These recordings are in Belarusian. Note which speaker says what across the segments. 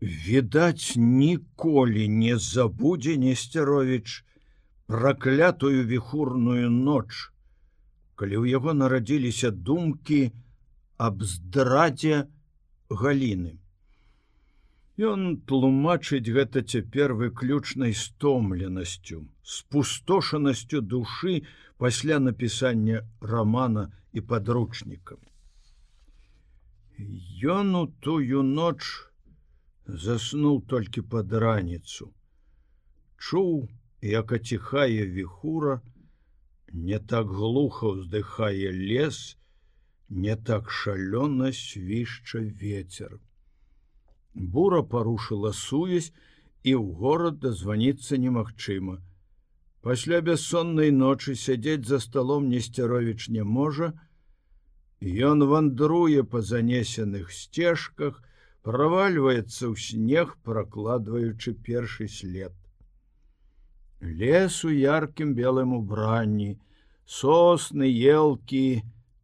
Speaker 1: Відаць, ніколі не забудзе Несцяровіч праклятую віхурную ноч, калі ў яго нарадзіліся думкі аб здрадзе Галіны. Ён тлумачыць гэта цяпер выключнай стомленасцю, спустошанасцю душы пасля напісання рамана і падручніка. Ён у тую ноч заснуў толькі пад раніцу. Чуў, як аціхае віхура, не так глуха ўздыхае лес, не так шалёна свішча вецер. Бура парушыла сувязь, і ў горад дазваніцца немагчыма. Пасля бяссоннай ночы сядзець за сталом Несцяровіч не можа. Ён вандруе па занесеных сцежках, правальваецца ў снег, пракладваючы першы след. Лес у яркім белым убранні, сосны, елкі,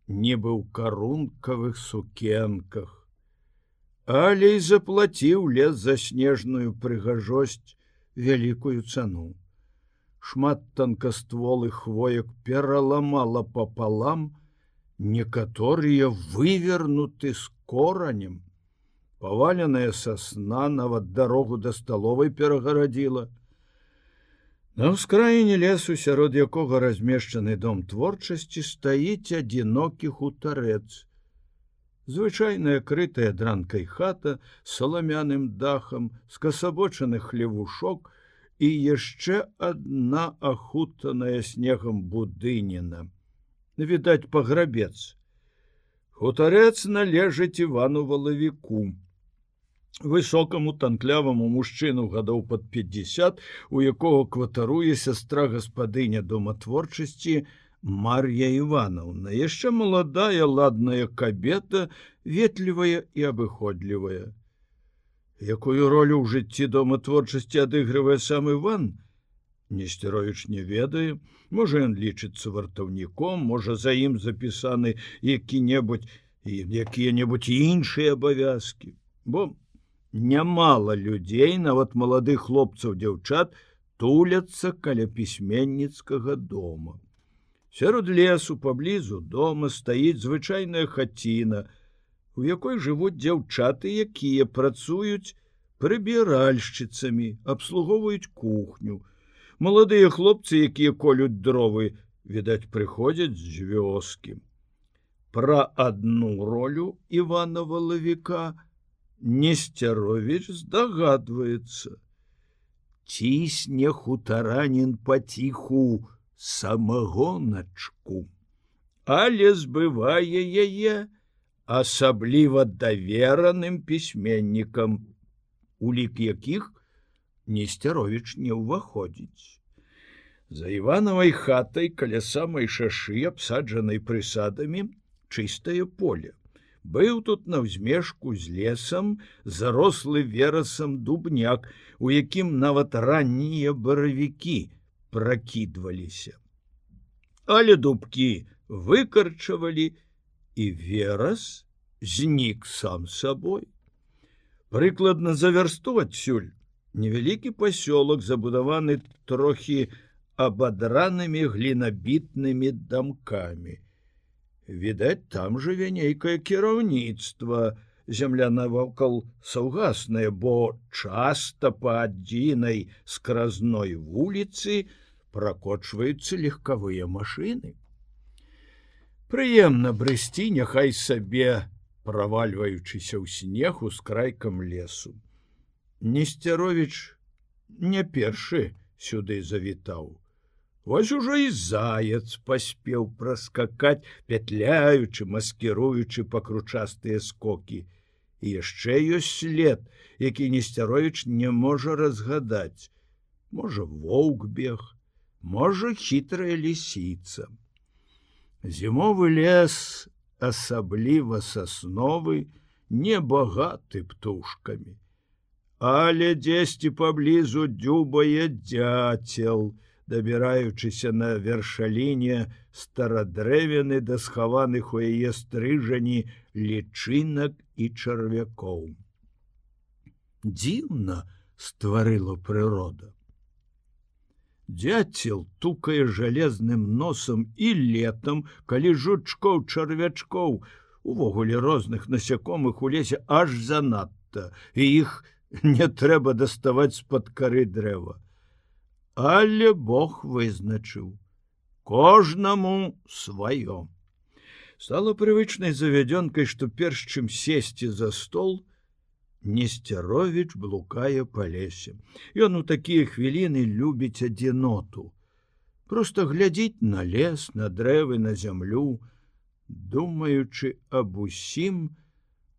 Speaker 1: нібы ў карункавых сукенках. Але і заплаціў лес за снежную прыгажосць вялікую цану. Шмат танкастволых хвоек пераламала папалам, некаторыя вывернуты з коранем. Паваленая сасна нават дарогу да сталовай перагарадзіла. На ўскраіне лесу, сярод якога размешчаны дом творчасці, стаіць адзінокі хутарэц. Звычайная крытая дранкай хата з саламяным дахам, скасабочаны хлевушок і яшчэ адна ахутаная снегам будыніна. Відаць, паграбец. Хутарэц належыць Івану Валавіку, высокаму танкляваму мужчыну гадоў пад 50, у якога кватаруе сястра гаспадыня дома творчасці Мар'я Івановна, яшчэ маладая, ладная кабета, ветлівая і абыходлівая. Якую ролю ў жыцці дома творчасці адыгрывае сам Іван, Несцяровіч не ведае. Можа, ён лічыцца вартаўніком, можа, за ім запісаны якія-небудзь іншыя абавязкі. Бо нямала людзей, нават маладых хлопцаў-дзяўчат, туляцца каля пісьменніцкага дома. Сярод лесу паблізу дома стаіць звычайная хаціна, у якой жывуць дзяўчаты, якія працуюць прыбіральшчыцамі, абслугоўваюць кухню. Маладыя хлопцы, якія колюць дровы, відаць, прыходзяць з вёскі. Пра адну ролю Івана Валавіка Несцяровіч здагадваецца. Цісне хутаранін паціху самагоначку, але збывае яе асабліва давераным пісьменнікам, у лік якіх Несцяровіч не ўваходзіць. За Іванавай хатай каля самай шашы, абсаджанай прысадамі, чыстае поле. Быў тут наўзмежку з лесам зарослы верасам дубняк, у якім нават раннія баравікі пракідваліся. Але дубкі выкарчавалі, і верас знік сам сабой. Прыкладна за вярсту адсюль невялікі пасёлак, забудаваны трохі абадранымі глінабітнымі дамкамі. Відаць, там жыве нейкае кіраўніцтва, зямля навокал саўгасная, бо часта па адзінай скразной вуліцы пракочваюцца легкавыя машыны. Прыемна брысці, няхай сабе, правальваючыся ў снег ускрайкам лесу. Несцяровіч не першы сюды завітаў. Вось ужо і заяц паспеў праскакаць, пятляючы, маскіруючы пакручастыя скокі. І яшчэ ёсць след, які Несцяровіч не можа разгадаць. Можа, воўк бег, можа, хітрая лісіца. Зімовы лес, асабліва сасновы, не багаты птушкамі. Але дзесьці паблізу дзюбае дзяцел, дабіраючыся на вершаліне старадрэвіны да схаваных у яе стрыжані лічынак і чарвякоў. Дзіўна стварыла прырода. Дзяцел тукае жалезным носам і летам, калі жучкоў, чарвячкоў, увогуле розных насякомых у лесе аж занадта, і іх не трэба даставаць з-пад кары дрэва. Але Бог вызначыў: кожнаму сваё. Стала прывычнай завядзёнкай, што перш чым сесці за стол, Несцяровіч блукае па лесе. Ён у такія хвіліны любіць адзіноту. Проста глядзіць на лес, на дрэвы, на зямлю, думаючы аб усім,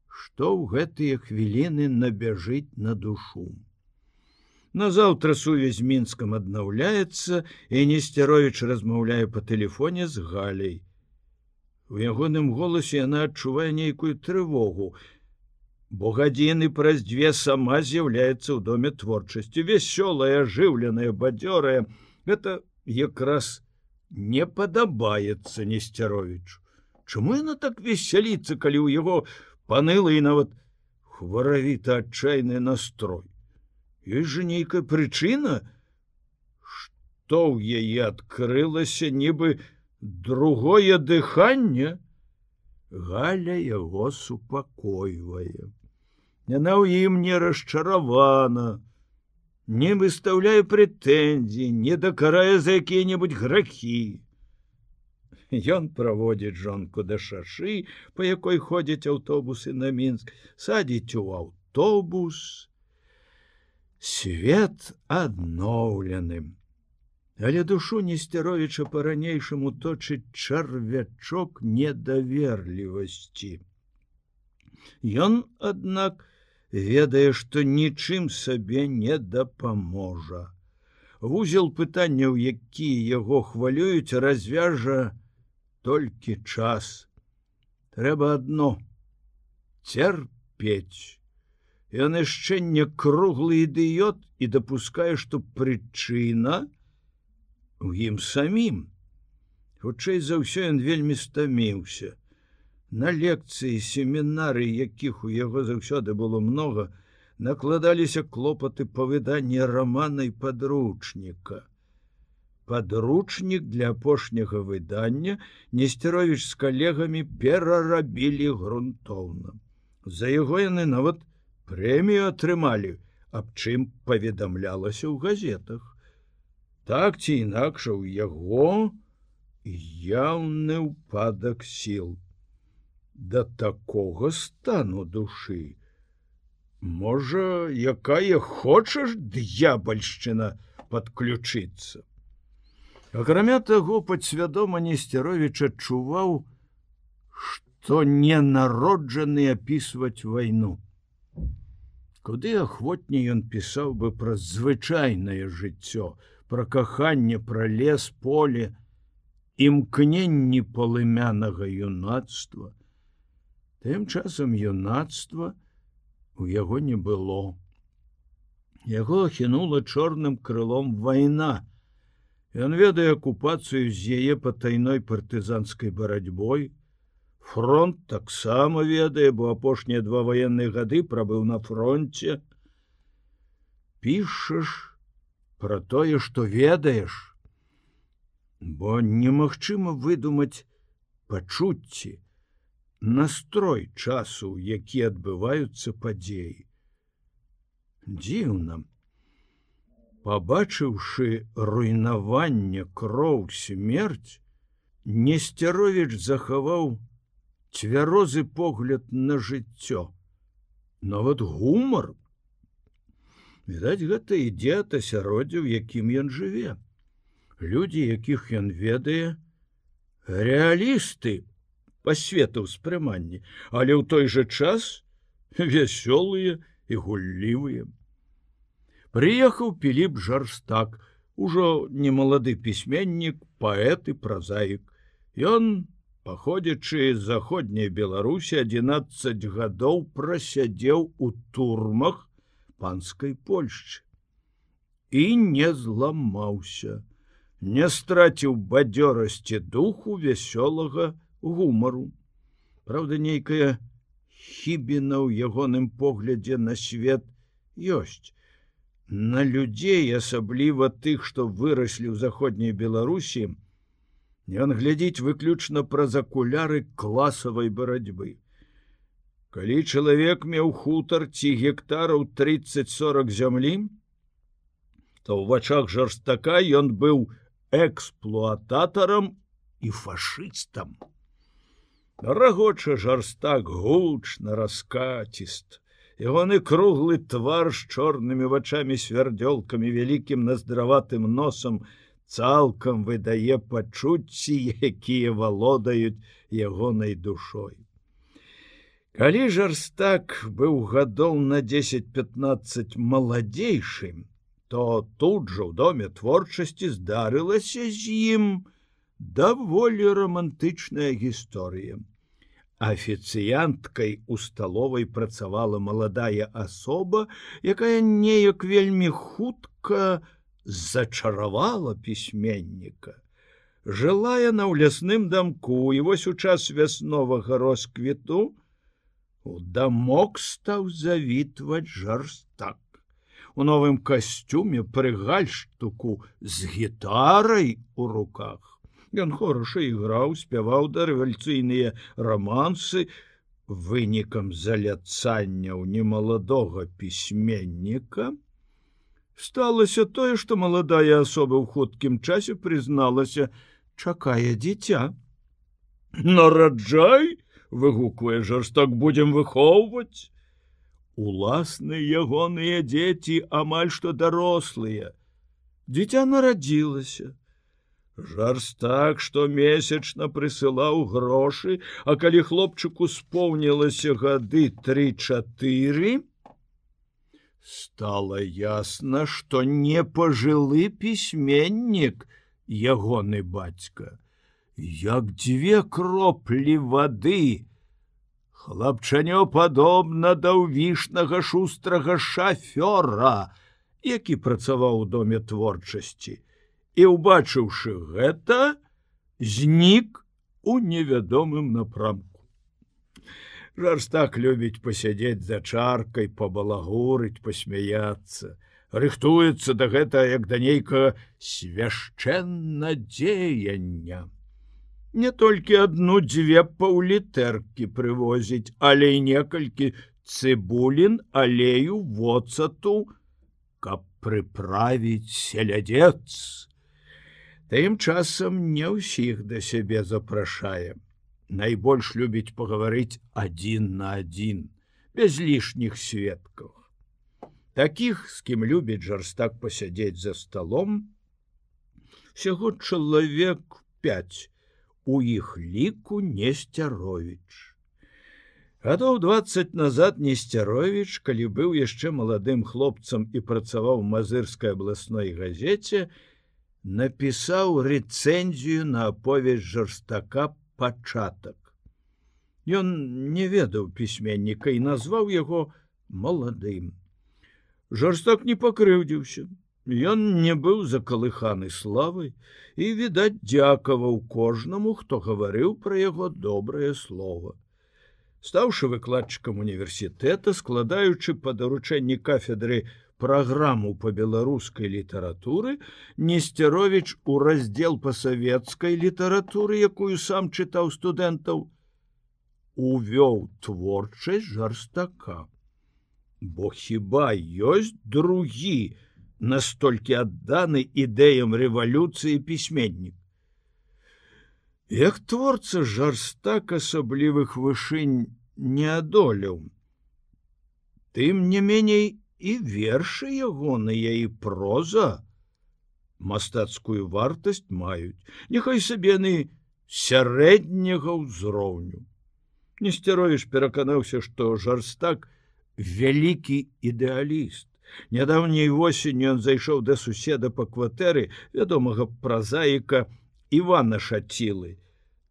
Speaker 1: што ў гэтыя хвіліны набяжыць на душу. Назаўтра сувязь з Мінскам аднаўляецца, і Несцяровіч размаўляе па тэлефоне з Галяй. У ягоным голасе яна адчувае нейкую трывогу, бо гадзіны праз 2 сама з'яўляецца ў доме творчасці, вясёлая, ажыўленая, бадзёрая. Гэта якраз не падабаецца Несцяровічу. Чаму яна так весяліцца, калі ў яго панылы і нават хваравіта адчайны настрой? Ёсць жа нейкая прычына, што ў яе адкрылася нібы другое дыханне. Галя яго супакойвае. Яна ў ім не расчаравана, не выстаўляе прэтэнзій, не дакарае за якія-небудзь грахі. Ён праводзіць жонку да шашы, па якой ходзяць аўтобусы на Мінск, садзіць у аўтобус. Свет адноўленым. Але душу Несцяровіча па-ранейшаму точыць чарвячок недаверлівасці. Ён, аднак, ведае, што нічым сабе не дапаможа. Вузел пытанняў, якія яго хвалююць, развяжа толькі час. Трэба адно — цярпець. Ён яшчэ не круглы ідыёт і дапускае, што прычына у ім самім. Хутчэй за ўсё, ён вельмі стаміўся. На лекцыі, семінары, якіх у яго заўсёды было многа, накладаліся клопаты па выданні рамана і падручніка. Падручнік для апошняга выдання Несцяровіч з калегамі перарабілі грунтоўна. За яго яны нават прэмію атрымалі, аб чым паведамлялася ў газетах. Так ці інакш, у яго яўны ўпадак сіл. Да такога стану душы. Можа, якая хочаш д'ябальшчына падключыцца. Акрамя таго, падсвядома Несцяровіч адчуваў, што ненароджаны апісваць вайну. Куды ахвотней ён пісаў бы пра звычайнае жыццё, пра каханне, пра лес, поле, імкненні полымянага юнацтва. Тым часам юнацтва у яго не было. Яго ахінула чорным крылом вайна. Ён ведае акупацыю з яе патайной партызанскай барацьбой. Фронт таксама ведае, бо апошнія 2 ваенныя гады прабыў на фронце. Пішаш пра тое, што ведаеш, бо немагчыма выдумаць пачуцці, настрой часу, які адбываюцца падзеі. Дзіўна. Пабачыўшы руйнаванне, кроў, смерць, Несцяровіч захаваў цвярозы погляд на жыццё. Нават гумар. Відаць, гэта ідзе ад асяроддзя, у якім ён жыве. Людзі, якіх ён ведае, рэалісты па свету ўспрыманні, але ў той жа час вясёлыя і гуллівыя. Прыехаў Піліп Жарстак, ужо немалады пісьменнік, паэт і празаік. Ён, паходзячы з заходняй Беларусі, 11 гадоў прасядзеў у турмах панскай Польшчы. І не зламаўся, не страціў бадзёрасці духу, вясёлага гумару. Праўда, нейкая хібіна ў ягоным поглядзе на свет ёсць. На людзей, асабліва тых, што выраслі ў заходняй Беларусі, ён глядзіць выключна праз акуляры класавай барацьбы. Калі чалавек меў хутар ці гектараў 30-40 зямлі, то ў вачах Жарстака ён быў эксплуататарам і фашыстам. Рагоча Жарстак гучна, раскаціст. Ягоны круглы твар з чорнымі вачамі свярдзёлкамі, вялікім наздраватым носам цалкам выдае пачуцці, якія валодаюць ягонай душой. Калі Жарстак быў гадоў на 10-15 маладзейшым, то тут жа ў доме творчасці здарылася з ім даволі романтычная гісторыя. Афіцыянткай у сталовай працавала маладая асоба, якая неяк вельмі хутка зачаравала пісьменніка. Жыла яна ў лясным дамку, і вось у час вясновага росквіту у дамок стаў завітваць Жарстак. У новым касцюме пры гальштуку з гітарай у руках. Ён хораша іграў, спяваў дарэвалюцыйныя рамансы. Вынікам заляцання ў немаладога пісьменніка сталася тое, што маладая асоба ў хуткім часе прызналася, чакае дзіця. «Нараджай!» — выгуквае Жарстак, «будзем выхоўваць». Уласныя ягоныя дзеці амаль што дарослыя. Дзіця нарадзілася. Жарстак штомесячна прысылаў грошы, а калі хлопчыку споўнілася гады 3-4, стала ясна, што не пажылы пісьменнік ягоны бацька. Як 2 кроплі вады, хлапчанё падобна да ўвішнага шустрага шафёра, які працаваў у доме творчасці. І, убачыўшы гэта, знік у невядомым напрамку. Жарстак любіць пасядзець за чаркай, пабалагурыць, пасмяяцца. Рыхтуецца да гэтага, як да нейкага свяшчэннадзеяння. Не толькі 1-2 паўлітэркі прывозіць, але і некалькі цыбулін, алею, воцату, каб прыправіць селядец. Тым часам не ўсіх да сябе запрашае. Найбольш любіць пагаварыць 1 на 1, без лішніх сведкаў. Такіх, з кім любіць Жарстак пасядзець за сталом, усяго чалавек 5, у іх ліку Несцяровіч. Гадоў 20 назад Несцяровіч, калі быў яшчэ маладым хлопцам і працаваў у Мазырскай абласной газеце, напісаў рэцэнзію на аповесць Жарстака «Пачатак». Ён не ведаў пісьменніка і назваў яго маладым. Жарстак не пакрыўдзіўся. Ён не быў закалыханы славай і, відаць, дзякаваў кожнаму, хто гаварыў пра яго добрае слова. Стаўшы выкладчыкам універсітэта, складаючы па даручэнні кафедры праграму па беларускай літаратуры, Несцяровіч у раздзел па савецкай літаратуры, якую сам чытаў студэнтаў, увёў творчасць Жарстака. Бо хіба ёсць другі настолькі адданы ідэям рэвалюцыі пісьменнік? Як творца Жарстак асаблівых вышынь не адолеў. Тым не меней і вершы ягоныя і проза мастацкую вартасць маюць, няхай сабе яны сярэдняга ўзроўню. Несцяровіч пераканаўся, што Жарстак вялікі ідэаліст. Нядаўняй восенню ён зайшоў да суседа па кватэры, вядомага празаіка Івана Шацілы.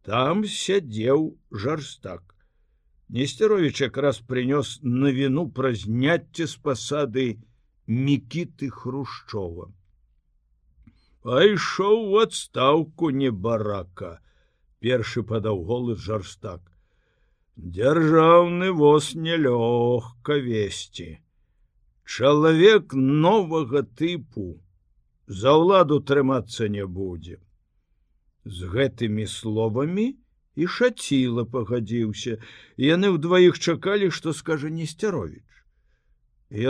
Speaker 1: Там сядзеў Жарстак. Несцяровіч якраз прынёс навіну пра зняцце з пасады Мікіты Хрушчова. «Пайшоў у адстаўку, небарака», — першы падаў голас Чалавек новага тыпу за ўладу трымацца не будзе. З гэтымі словамі і Шаціла пагадзіўся. Яны ўдваіх чакалі, што скажа Несцяровіч.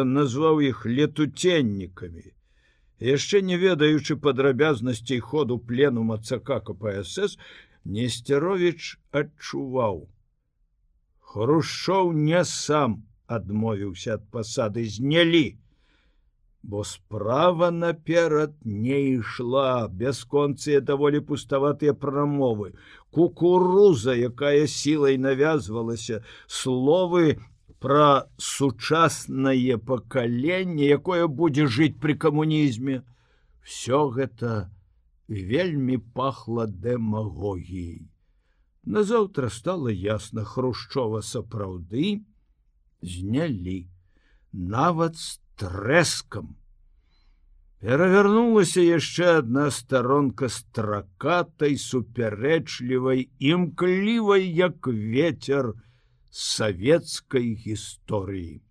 Speaker 1: Ён назваў іх летуценнікамі. Яшчэ не ведаючы падрабязнасцей ходу пленума ЦК КПСС, Несцяровіч адчуваў. Хрушчоў не сам адмовіўся ад пасады, знялі, бо справа наперад не ішла, бясконцыя даволі пуставатыя прамовы, кукуруза, якая сілай навязвалася, словы пра сучаснае пакаленне, якое будзе жыць пры камунізме. Всё гэта вельмі пахла дэмагогіяй. Назаўтра стала ясна, Хрушчова сапраўды знялі, нават з трэскам. Перавярнулася яшчэ адна старонка стракатай, супярэчлівай, імклівай, як вецер, савецкай гісторыі.